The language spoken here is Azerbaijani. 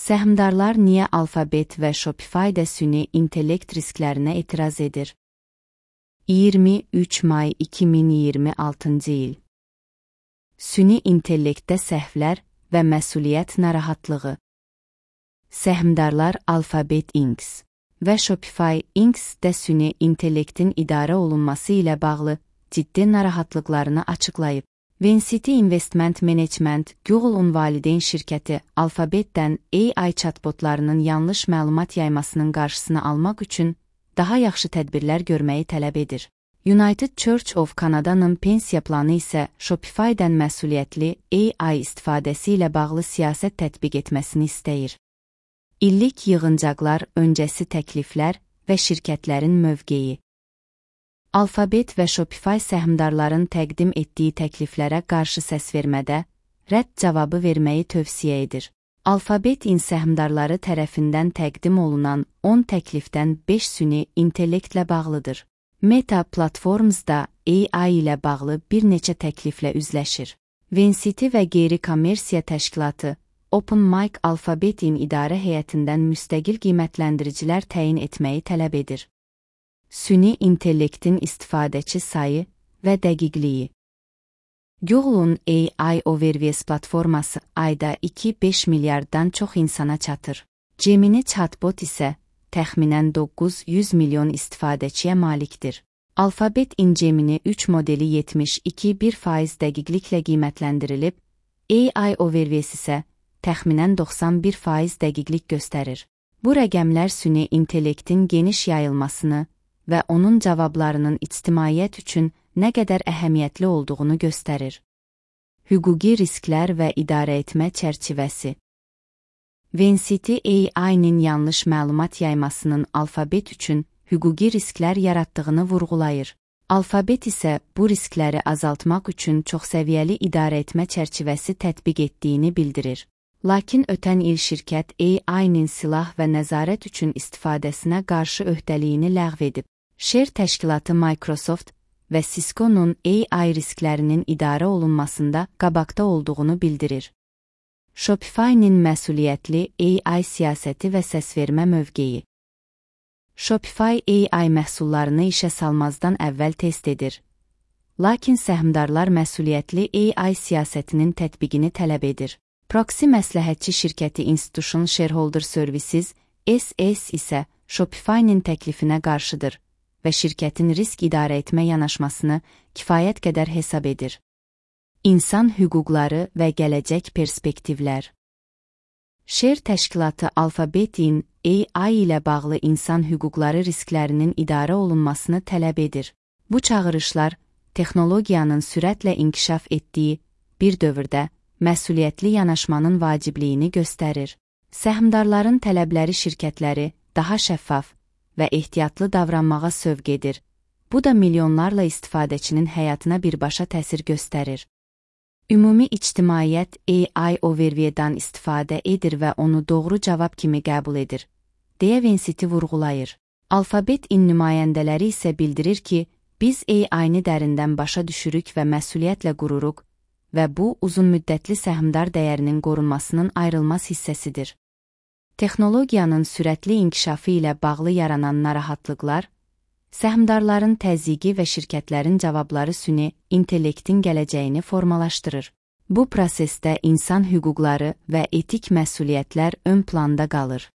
Səhmdarlar niyə Alphabet və Shopify-də süni intellekt risklərinə etiraz edir? 23 may 2026-cı il. Süni intellektdə səhvlər və məsuliyyət narahatlığı. Səhmdarlar Alphabet Inc. və Shopify Inc.də süni intellektin idarə olunması ilə bağlı ciddi narahatlıqlarını açıqlayıb. Vincity Investment Management, Google'un valideyn şirkəti Alphabetdən AI chatbotlarının yanlış məlumat yaymasının qarşısını almaq üçün daha yaxşı tədbirlər görməyi tələb edir. United Church of Canada'nın pensiya planı isə Shopify-dən məsuliyyətli AI istifadəsi ilə bağlı siyasət tətbiq etməsini istəyir. İllik yığıncaqlar, öncəsi təkliflər və şirkətlərin mövqeyi. Alphabet və Shopify səhmdarların təqdim etdiyi təkliflərə qarşı səs vermədə rədd cavabı verməyi tövsiyə edir. Alphabet səhmdarları tərəfindən təqdim olunan 10 təklifdən 5 süni intellektlə bağlıdır. Meta Platforms'da AI ilə bağlı bir neçə təkliflə üzləşir. Vincity və qeyri-kommersiya təşkilatı OpenMic Alphabet'in idarə heyətindən müstəqil qiymətləndiricilər təyin etməyi tələb edir. Süni intellektin istifadəçi sayı və dəqiqliyi. Google'un AI Overviews platforması ayda 2-5 milyarddan çox insana çatır. Gemini chatbot isə təxminən 900 milyon istifadəçiyə malikdir. Alphabet Gemini 3 modeli 72% dəqiqliklə qiymətləndirilib, AI Overviews isə təxminən 91% dəqiqlik göstərir. Bu rəqəmlər süni intellektin geniş yayılmasını və onun cavablarının ictimaiyyət üçün nə qədər əhəmiyyətli olduğunu göstərir. Hüquqi risklər və idarəetmə çərçivəsi. Vincity AI-nin yanlış məlumat yaymasının Alphabet üçün hüquqi risklər yaratdığını vurğulayır. Alphabet isə bu riskləri azaltmaq üçün çoxsəviyyəli idarəetmə çərçivəsi tətbiq etdiyini bildirir. Lakin ötən il şirkət AI-nin silah və nəzarət üçün istifadəsinə qarşı öhdəliyini ləğv edib. Şer təşkilatı Microsoft və Cisco'nun AI risklərinin idarə olunmasında qabaqda olduğunu bildirir. Shopify-nin məsuliyyətli AI siyasəti və səsvermə mövqeyi. Shopify AI məhsullarını işə salmazdan əvvəl test edir. Lakin səhmdarlar məsuliyyətli AI siyasətinin tətbiqini tələb edir. Proxy məsləhətçi şirkəti Institutional Shareholder Services SS isə Shopify-nin təklifinə qarşıdır və şirkətin risk idarəetmə yanaşmasını kifayət qədər hesab edir. İnsan hüquqları və gələcək perspektivlər. Şer təşkilatı Alphabet'in AI ilə bağlı insan hüquqları risklərinin idarə olunmasını tələb edir. Bu çağırışlar, texnologiyanın sürətlə inkişaf etdiyi bir dövrdə məsuliyyətli yanaşmanın vacibliyini göstərir. Səhmdarların tələbləri şirkətləri daha şəffaf və ehtiyatlı davranmağa sövq edir. Bu da milyonlarla istifadəçinin həyatına birbaşa təsir göstərir. Ümumi ictimaiyyət AI Overview'dan istifadə edir və onu doğru cavab kimi qəbul edir, deyə Vincity vurğulayır. Alphabet nümayəndələri isə bildirir ki, biz AI-ni dərindən başa düşürük və məsuliyyətlə qururuq və bu uzunmüddətli səhmdar dəyərinin qorunmasının ayrılmaz hissəsidir. Texnologiyanın sürətli inkişafı ilə bağlı yaranan narahatlıqlar, səhmdarların təzyiqi və şirkətlərin cavabları süni intellektin gələcəyini formalaşdırır. Bu prosesdə insan hüquqları və etik məsuliyyətlər ön planda qalır.